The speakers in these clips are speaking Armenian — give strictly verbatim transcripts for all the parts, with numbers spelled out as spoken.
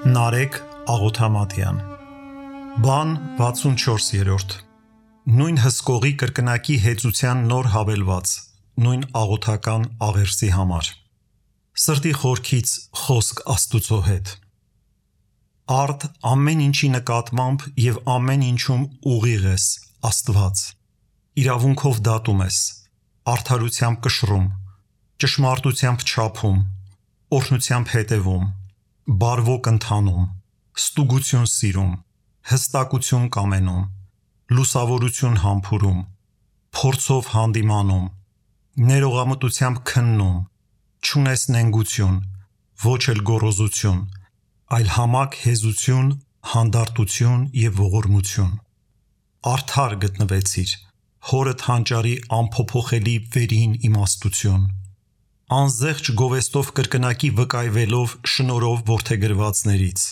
Նարեկ Աղոթամատյան Բան վաթսունչորսերորդ Նույն հսկողի կրկնակի հեծության նոր հավելված Նույն աղոթական աղերսի համար Սրտի խորքից խոսք Աստուծո հետ Արդ ամեն ինչի նկատմամբ և ամեն ինչում ուղիղ ես Աստված Իրավունքով դատում ես Արդարությամբ կշռում Ճշմարտությամբ չափում Օրհնությամբ հետևում Բարվոք ընթանում, ստուգություն սիրում, հստակություն կամենում, լուսավորություն համբուրում, փորձով հանդիմանում, ներողամտությամբ քննում, չունես նենգություն, ոչ էլ գոռոզություն, այլ համակ հեզություն, հանդարտություն և ողորմություն։ Արդար գտնվեցիր, հորդ հանճարի անփոփոխելի վերին իմաստություն։ Անզեղջ գովեստով կրկնակի վկայվելով շնորհով որդեգրվածներից,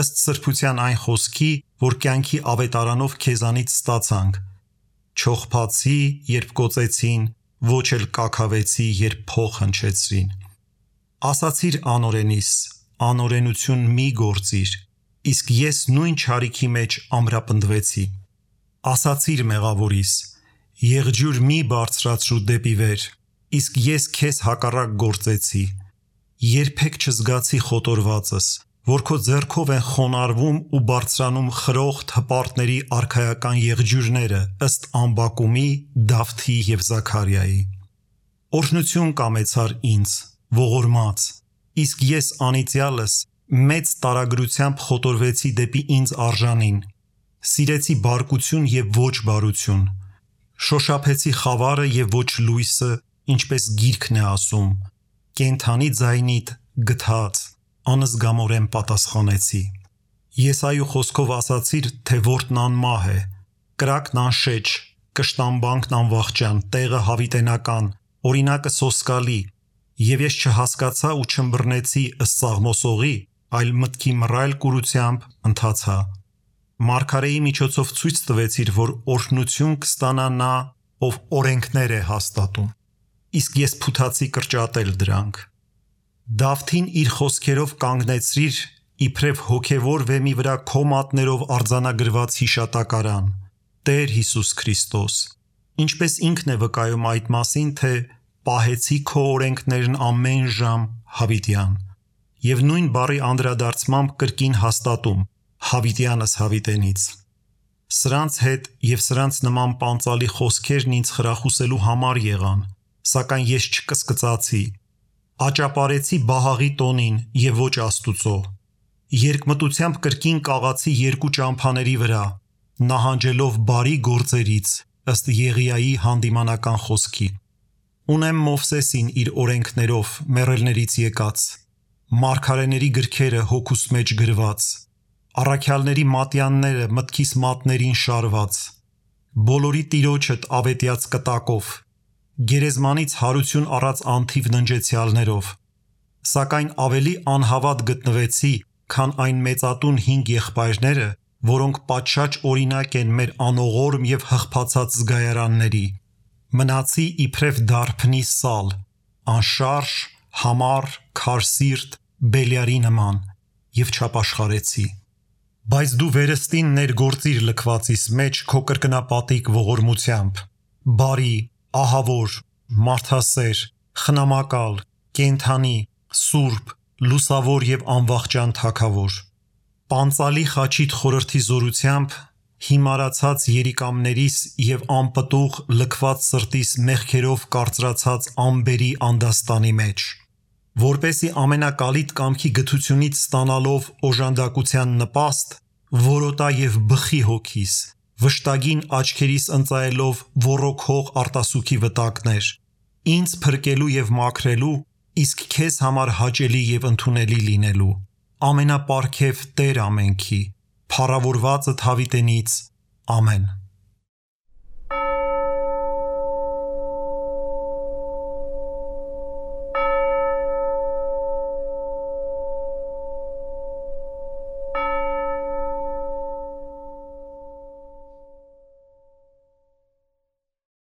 ըստ սրբության այն խոսքի, որ կյանքի ավետարանով քեզանից ստացանք, չողփացի, երբ կոծեցին, ոչ էլ կաքավեցի, երբ փող հնչեցրին։ Ասացիր անօրենիս, անօրենություն մի գործիր, իսկ ես նույն չարիքի մեջ ամրապնդվեցի։ Ասացիր մեղավորիս, եղջյուր մի բարձրացրու դեպի վեր, իսկ ես քեզ հակառակ գործեցի, երբեք չզգացի խոտորվածս, որ քո ձեռքով են խոնարհվում ու բարձրանում խրոխտ հպարտների արքայական եղջյուրները ըստ Ամբակումի, Դավթի և Զաքարիայի։ Օրհնություն կամեցար ինձ, ողորմած, իսկ ես անիծյալս մեծ տարագրությամբ խոտորվեցի դեպի ինձ արժանին, սիրեցի բարկություն և ոչ բարություն, շոշափեցի խավարը և ոչ լույսը, ինչպես գիրքն է ասում, կենդանի ձայնիդ գթած, անզգամորեն պատասխանեցի։ Եսայու խոսքով ասացիր, թե որդն անմահ է, կրակն անշեջ, կշտամբանքն անվախճան, տեղը հավիտենական, օրինակը սոսկալի, և ես չհասկացա ու չըմբռնեցի ըստ Սաղմոսողի, այլ մտքի մռայլ կուրությամբ ընթացա։ Մարգարեի միջոցով ցույց տվեցիր, որ օրհնություն կստանա նա, ով օրենքներ է հաստատում, իսկ ես փութացի կրճատել դրանք։ Դավթին իր խոսքերով կանգնեցրիր, իբրև հոգևոր վեմի վրա քո մատներով արձանագրված հիշատակարան, Տեր Հիսուս Քրիստոս, ինչպես ինքն է վկայում այդ մասին, թե պահեցի քո օրենքներն ամեն ժամ հավիտյան, և նույն բառի անդրադարձմամբ կրկին հաստատում, հավիտյանս հավիտենից։ Սրանց հետ և սրանց նման պանծալի խոսքերն ինձ խրախուսելու համար եղան, սակայն ես չկսկծացի, աճապարեցի Բահաղի տոնին և ոչ Աստուծո, երկմտությամբ կրկին կաղացի երկու ճամփաների վրա, նահանջելով բարի գործերից, ըստ Եղիայի հանդիմանական խոսքի։ Ունեմ Մովսեսին իր օրենքներով մեռելներից եկած, մարգարեների գրքերը հոգուս մեջ գրված, առաքյալների մատյանները մտքիս մատներին շարված, բոլորի Տիրոջդ ավետյաց կտակով, գերեզմանից հարություն առած անթիվ ննջեցյալներով, սակայն ավելի անհավատ գտնվեցի, քան այն մեծատուն հինգ եղբայրները, որոնք պատշաճ օրինակ են մեր անողորմ և հղփացած զգայարանների, մնացի իբրև դարբնի սալ, անշարժ, համառ, քարսիրտ, Բելիարի նման, և չապաշխարեցի։ Բայց դու վերստին ներգործիր լքվածիս մեջ քո կրկնապատիկ ողորմությամբ, բարի, ահավոր, մարդասեր, խնամակալ, կենդանի, սուրբ, լուսավոր և անվախճան Թագավոր։ Պանծալի խաչիդ խորհրդի զորությամբ հիմարացած երիկամներիս և անպտուղ լքված սրտիս մեղքերով կարծրացած ամբերի անդաստանի մեջ, որպեսզի ամենակալիտ կամքի գթությունից ստանալով օժանդակության նպաստ, որոտա և բխի հոգիս, վշտագին աչքերիս ընծայելով ոռոգող արտասուքի վտակներ, ինձ փրկելու և մաքրելու, իսկ քեզ համար հաճելի և ընդունելի լինելու, ամենապարգև Տեր ամենքի, փառավորվածդ հավիտենից, ամեն։